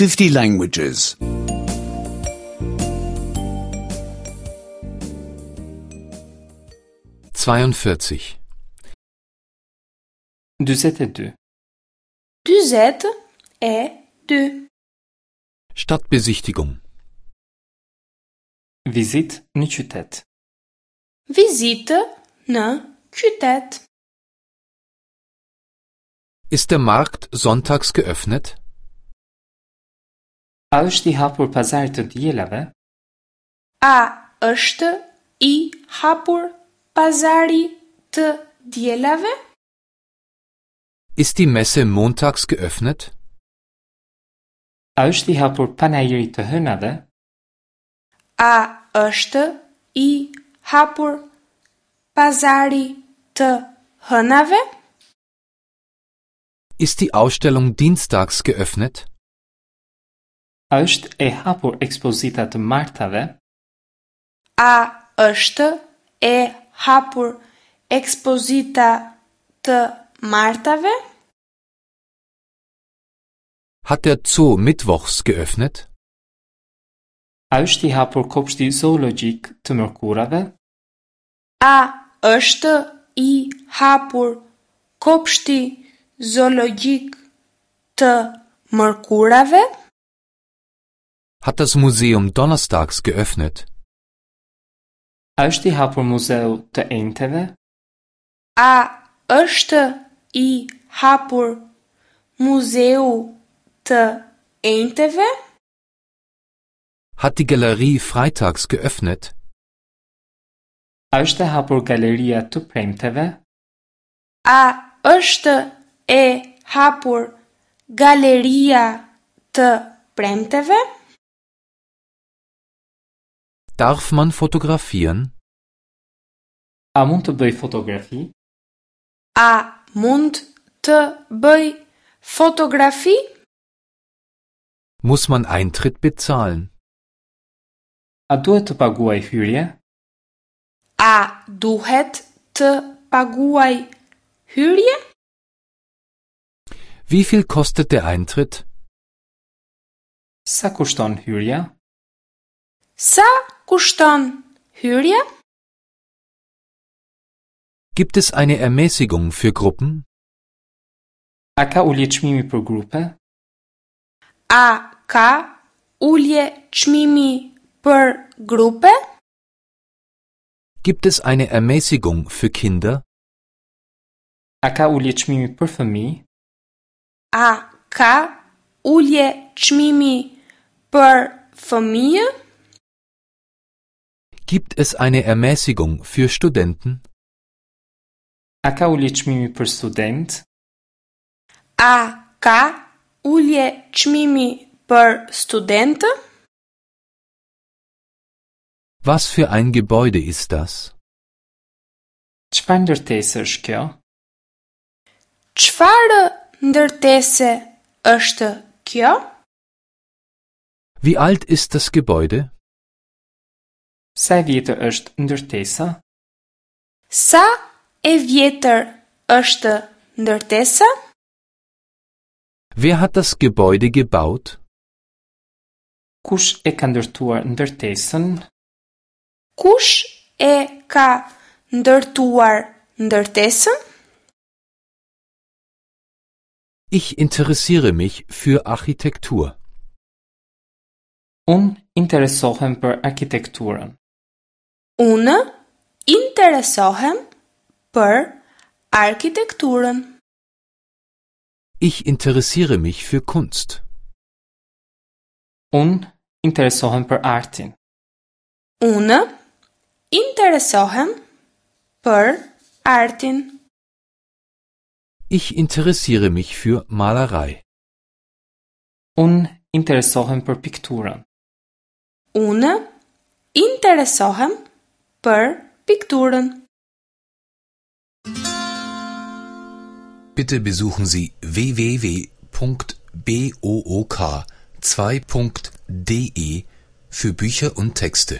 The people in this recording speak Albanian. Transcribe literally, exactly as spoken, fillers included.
fifty languages. zweiundvierzig. Dyzet e dy. Dyzet e dy. Stadtbesichtigung. Vizitë në qytet. Vizitë në qytet. Ist der Markt sonntags geöffnet? A është i hapur pazari të dielave? A është i hapur pazari të dielave? Ist die Messe montags geöffnet? A është i hapur panairi të hënave? A është i hapur pazari të hënave? Ist die Ausstellung dienstags geöffnet? A është e hapur ekspozita të martave? A është e hapur ekspozita të martave? Hat der Zoo mittwochs geöffnet? A është i hapur kopshti zoologjik të mërkurave? A është i hapur kopshti zoologjik të mërkurave? Hat das Museum donnerstags geöffnet? A është i hapur muzeu të enjteve? A është i hapur muzeu të enjteve? Hat die Galerie freitags geöffnet? A është e hapur galeria të premteve? A është e hapur galeria të premteve? Darf man fotografieren? A mund të bëj fotografi? A mund të bëj fotografi? Muss man Eintritt bezahlen? A duhet të paguaj hyrje? A duhet të paguaj hyrje? Wie viel kostet der Eintritt? Sa kushton hyrja? Sa kushton hyrja? Gibt es eine Ermäßigung für Gruppen? A ka ulje çmimi për grupe? A ka ulje çmimi për grupe? Gibt es eine Ermäßigung für Kinder? A ka ulje çmimi për fëmijë? A ka ulje çmimi për fëmijë? Gibt es eine Ermäßigung für Studenten? A ka ulje çmimi për student? A ka ulje çmimi për studentë? Was für ein Gebäude ist das? Çfarë ndërtese është kjo? Çfarë ndërtese është kjo? Wie alt ist das Gebäude? Sa e vjetër është ndërtesa? Sa e vjetër është ndërtesa? Wer hat das Gebäude gebaut? Kush e ka ndërtuar ndërtesën? Kush e ka ndërtuar ndërtesën? Ich interessiere mich für Architektur. Unë interesohem për arkitekturën. Unë interesohem për arkitekturën. Ich interessiere mich für Kunst. Unë interesohem për artin. Unë interesohem për artin. Ich interessiere mich für Malerei. Unë interesohem për pikturën. Unë interesohem për pikturën. Bitte besuchen Sie w w w punkt b o o k zwei punkt d e für Bücher und Texte.